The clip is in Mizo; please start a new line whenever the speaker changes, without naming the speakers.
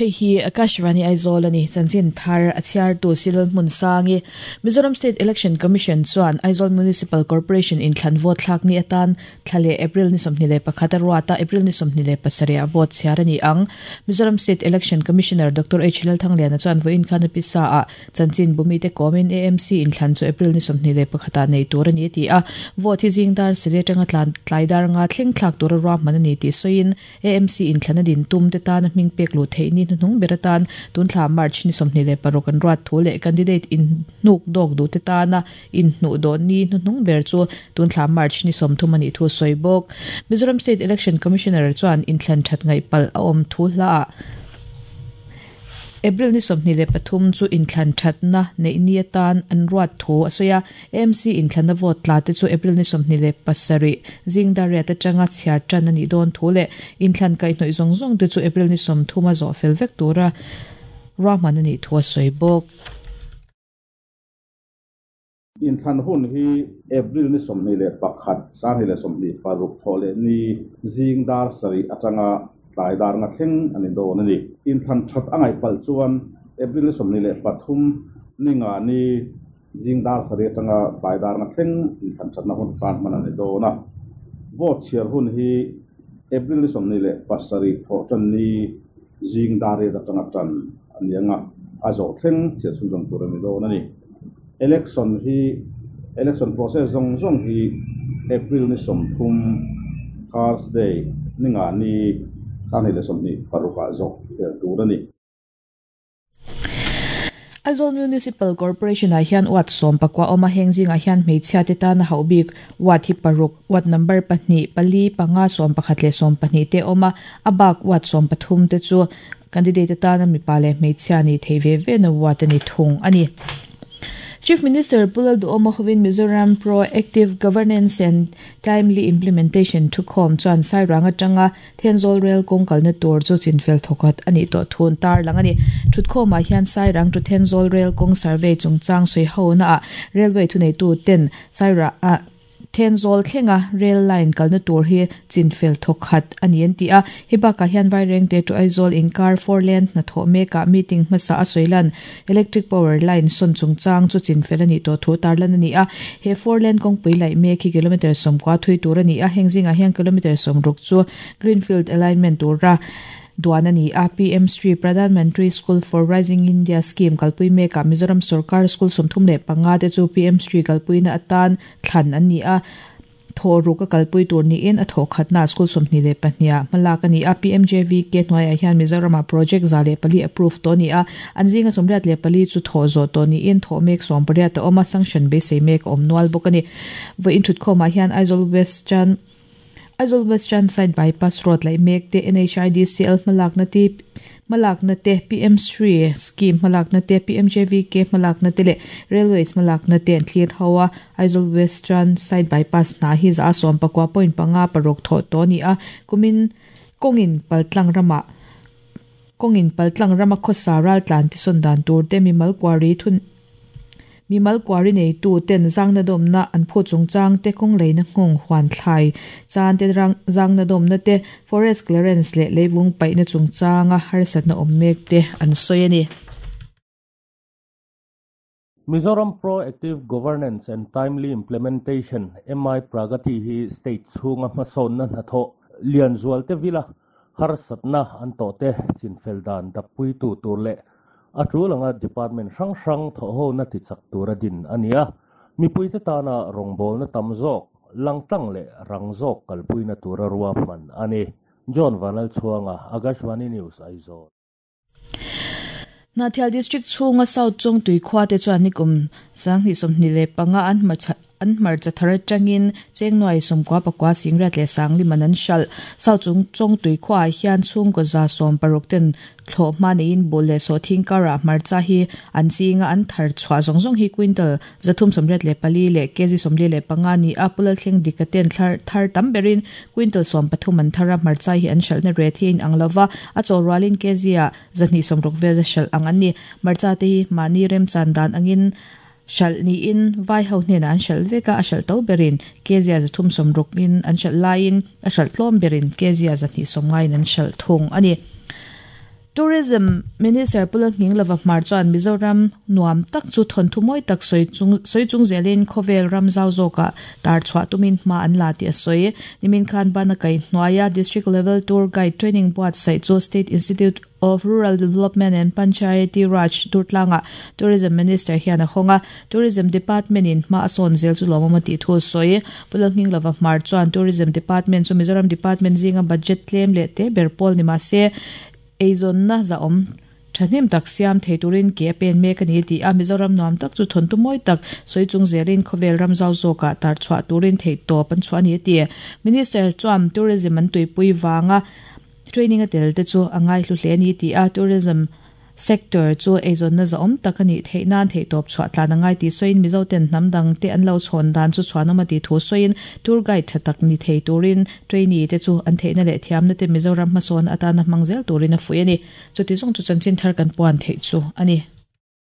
Hei hi Akashvani Aizawl a ni. Chanchin thar a chhiartu Silal Hmunsangi. Mizoram State Election Commission chuan Aizawl Municipal Corporation inthlan vote thlak ni atan thla leh April ni 21 a ruat a, April ni 27 ah vote chhiar a ni ang. Mizoram State Election Commissioner Doctor H Lalthangliana chuan vawiin khan a pisa ah Chanchin bumite kawmin AMC inthlan chu April ni 21 ah nei tur a ni a ti a, vote hi zing dar sarih atanga tlan tlai dar nga thleng thlak tura ruahman a ni tih sawiin AMC inthlan a din tum te tana hming pek luh theih ni hnuhnung ber atan tunthla March ni 26 an ruat thu leh candidate inhnuk dawk duh te tana inhnuh dawh ni hnuhnung ber chu tunthla March ni 30 a nih thu a sawi bawk. Mizoram State Election Commissioner chuan inthlan that ngaih palh a awm thu hlaah April ni 23 chu inthlan thatna neih ni atan an ruat thu a sawi a, AMC inthlanna vote tla te chu April ni 27 zing dar riat atanga chhiar tan a nih dawn thu leh inthlan kaihhnawih zawng zawng te chu April ni 30 a zawh fel vek tura ruahman a nih thu a sawi bawk.
Inthlan hun hi April ni 21, 2026 thawh leh ni zing dar sarih atanga tlai dar nga thleng a ni dawn a ni. Inthlan that a ngaih palh chuan April ni 23 ni nga ni zing dar sarih atanga tlai dar nga thleng inthlan thatna hun tan hman a ni dawn a. Vote chhiar hun hi April ni 27 thawh tan ni zing dar riat atanga tan a ni ang a, a zawh thleng chhiar chhunzawm tur a ni dawn a ni. Election hi election process zawng zawng hi April ni 30 Thursday ni nga ni 2026 ah zawh fel tur a ni.
Aizawl Municipal Corporation ah hian ward 14 awm a, heng zingah hian hmeichhia te tana hauh bik ward hi paruk, ward number pahnih, pali, panga, 11 leh 12 te awm a, a bak ward 13 te chu candidate atana mipa leh hmeichhia nih theih ve ve na ward a ni thung a ni. Chief Minister Pu Lalduhawma hovin Mizoram Pro-active Governance and Timely Implementation thukhawm chuan Sairang atanga Thenzawl Rail kawng kalna tur chu chinfel thawkhat a nih tawh thu an tarlang a ni. Thutkhawmah hian Sairang to Thenzawl Rail kawng survey chungchang sawi honaah Railway thuneitu ten Sairang Thenzawl thlenga rail line kalna tur hi chinfel thawkhat a ni an ti a. Hei bakah hian Vairengte to Aizawl inkar four lane hnathawh mekah meeting hmasa a sawi lan Electric power line sawn chungchang chu chinfel a nih tawh thu tarlan a ni a. He four lane kawngpui laih mek hi kilometre 90 thui tur a ni a, heng zingah hian kilometre 60 chu greenfield alignment tura duan a ni a. PM Shri Pradhan Mantri School for Rising India Scheme kalpui mekah Mizoram sorkar school 35 te chu PM Shri kalpuina atan thlan an ni a. Thawh ruk a kalpui tur niin a thawh khatna school 22 ah hmalak a ni a. PMJVK hnuaiah hian Mizoramah project 104 approve tawh a ni a. An zinga 84 chu thawh zawh tawh niin thawh mek 18 a awm a, sanction beisei mek a awm nual bawk a ni. Vawiin thutkhawmah hian Aizawl Western Aizawl Western Side Bypass Road laih mek te, NHIDCL hmalakna te, hmalakna te, PM Shri Scheme hmalakna te, PMJVK hmalakna te leh Railways hmalakna te an thlir ho a. Aizawl Western Side Bypass hna hi 119.5 paruk thawh tawh a ni a, kumin kawngin paltlang ramah kawngin paltlang rama khawsa raltlan te sawn dan tur te mimal kuari thun mimal kuari neitu ten zangna dawmna an phu chungchang te kawng leina nghawng huan thlai chan te rang zangna dawmna te forest clearance leh leivung paihna chungchanga harsatna awm mek te an sawi a ni.
Mizoram Pro-active Governance and Timely Implementation, MI Pragati hi state chhunga hmasawnna hnathawh lian zual te vila harsatna an tawh te chinfel dan dappuitu tur leh a tul anga department hrang hrang thawh hona ti chak tura din a ni a. Mipuite tana rawngbawlna tam zawk, langtlang leh rang zawk kalpuina tura ruahman a ni. John Vanlalchhuanga, Akashvani News, Aizawl.
Hnahthial District chhunga South Chawngtui khua te chuan nikum 2025 an an hmarcha thar atangin chengnuai 94 singriat leh sangliman an hralh. South Chawngtui khuaah hian chhungkaw 160 ten thlawh hma neiin bul leh sawhthing karah hmarcha hi an chinga an thar chhuah zawng zawng hi quintal 384 leh kg 45 ni a. Pulal thleng dik a ten thlar thar tam berin quintal 13 an thar a, hmarcha hi an hralhna ret hi a inang lova, a chaw rualin kg ah 260 vel a hralh ang an ni. Hmarcha te hi mahni remchan dan angin hralh niin vai ho hnenah an hralh vek a, a hralh to berin kg ah 360 in an hralh laiin a hralh tlawm berin kg ah 290 in an hralh thung a ni. Tourism Minister Pu Lalhminglova Hmar chuan Mizoram nuam tak chu thawnthu mawi tak sawi chung sawi chung zelin khawvel ram zau zawkah tar chhuah tumin hma an la tih a sawi. Nimin khan bana kai hnuaia District Level Tour Guide Training buatsaih chu State Institute of Rural Development and Panchayati Raj Durtlangah Tourism Minister hian a hawng a, Tourism Department in hma a sawn zel chu lawmawm a tih thu a sawi. Pu Lalhminglova Hmar chuan Tourism Department chu Mizoram Department zinga budget tlem leh te ber pawl ni mahse eizawnna zahawm thahnem tak siam thei turin ke a pen mek a ni a ti a, Mizoram nuam tak chu thawntu mawi tak sawi chung zelin khawvel ram zau zawkah tar chhuah turin theihtawp an chhuah a ni a ti. Minister chuan Tourism an tuipui vanga Training a tel te chu a ngaihlu hle a ni tih a, tourism sector chu eizawnna zahawm tak a nih theih nan theihtawp chhuah tlan a ngai tih sawiin Mizo ten hnam dang te an lo chhawn dan chu chhuanawm a tih thu sawiin tour guide tha tak ni thei turin trainee te chu an theihna leh thiamna te Mizoram hmasawn atana hmang zel turin a fuih a ni. Chuti zawng chu chanchin thar kan puan theih chu a ni.